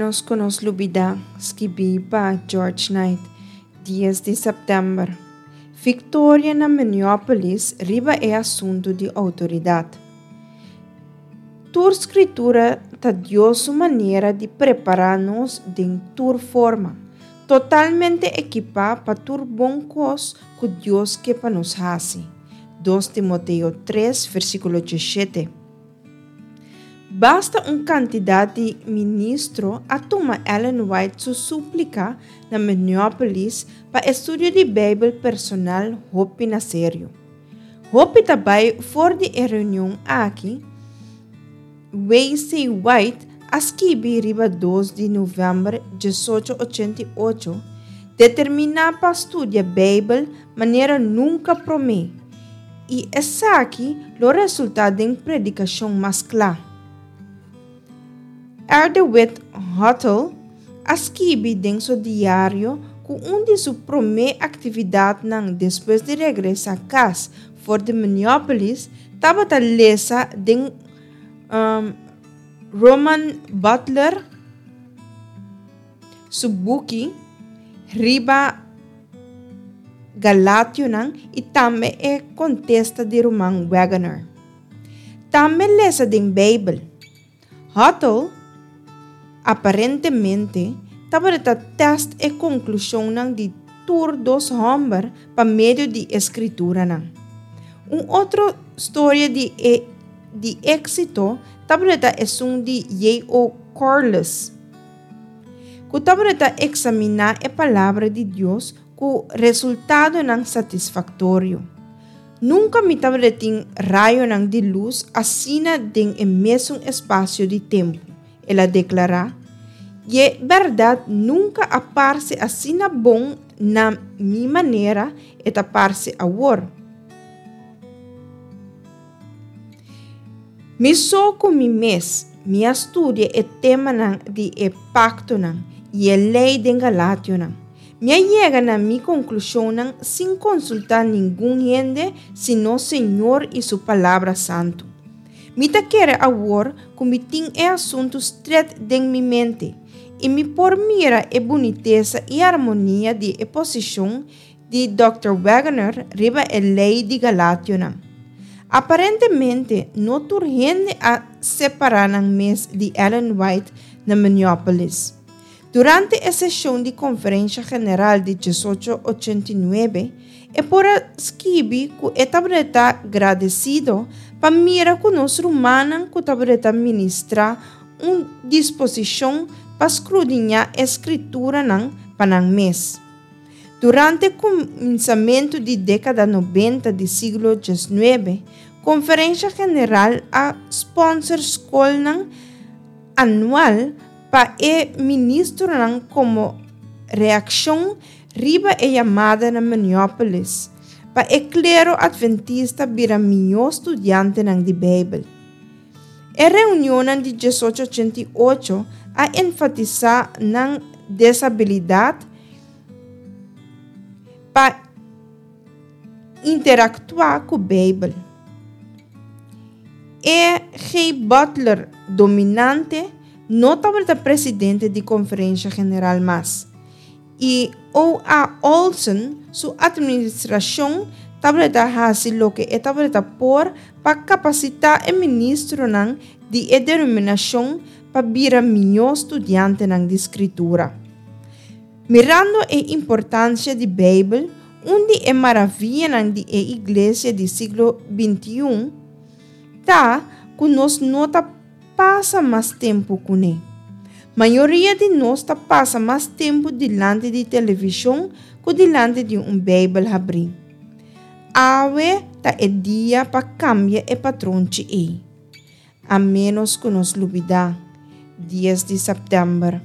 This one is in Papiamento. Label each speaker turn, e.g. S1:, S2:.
S1: ménos ku nos lubidá, skibí pa George Knight, dies di sèptèmber. Viktoria na Minneapolis riba e asuntu di outoridat. Tur Skritura ta Dios su manera di prepará nos den tur forma, totalmente ekipá pa tur bon kos ku Dios ke pa nos hasi. Dos Timoteo tres, versíkulo diesshete. Basta un kantidat di ministro a tuma Ellen White su súplika na Minneapolis pa estudio di Beibel personal hopi na serio. Hopi ta bai for di e reunion aki, WC. White a skibi riba dos di novèmber diesocho ochenta i ocho, determiná pa studia Beibel manera nunka promé, i esaki lo resultá den predikashon mas kla. R. DeWitt Huttle a skibi den su diario ku un di su promé aktividatnan despues di regresá kas for di Minneapolis tabata lesa den Roman Butler su buki riba Galationan i tambe e kontesta di ruman Waggoner. Tambe lesa den Beibel. Huttle aparentemente tabata tèst e konklushonnan di tur dos hòmber pa medio di e Skrituranan. Un otro storia di e di éksito tabata esun di J. O. Corliss, ku tabata eksaminá e Palabra di Dios ku resultadonan satisfaktorio. Nunka mi tabata tin rayonan di lus asina den e mesun espasio di tempu, el a deklará. I e bèrdat nunka a parse asina bon na mi manera e ta parse awor. Mi so ku mi mes, mi a studia e temanan di e paktonan i e lei den Galationan. Mi a yega na mi konklushonnan sin konsultá ningun hende sino Señor i Su Palabra Santu. Mi ta kere awor ku mi tin e asuntu stret den mi mente i mi por mira e bunitesa i armonia di e posishon di Dòkter Waggoner riba e lei di Galationan. Aparentemente no tur hende a separá nan mes di Ellen White na Minneapolis. Durante e seshon di Konferensha General di diesocho ochenta i nuebe, e por a skibi ku e tabata gradesido pa mira ku nos rumannan ku tabata ministrá un disposishon pa skrudiñá e Skrituranan pa nan mes. Durante kuminsamentu di dékada nobenta di siglo diesnuebe, Konferensha General a spònser skolnan anual pa e ministronan komo reakshon riba e yamada na Minneapolis pa e klero adventista bira mihó studiantenan di Beibel. E reunionnan di diesocho ochenta i ocho a enfatisá nan desabilidat pa interaktuá ku Beibel. E. G. Butler dominante no tabata presidente di Konferensha General mas, i O. A. Olson su atministrashon tabata hasi loke e tabata por pa kapasitá e ministronan di e denominashon pa bira mihó studiantenan di Skritura. Mirando e importansia di Beibel, un di e maravianan di e iglesia di siglo bintiun ta ku nos no ta pasa mas tempu kuné. Mayoria di nos ta pasa mas tempu dilanti di televishon ku dilanti di un Beibel habrí. Awe ta e dia pa kambia e patronchi ei. A ménos ku nos lubidá, dies di sèptèmber.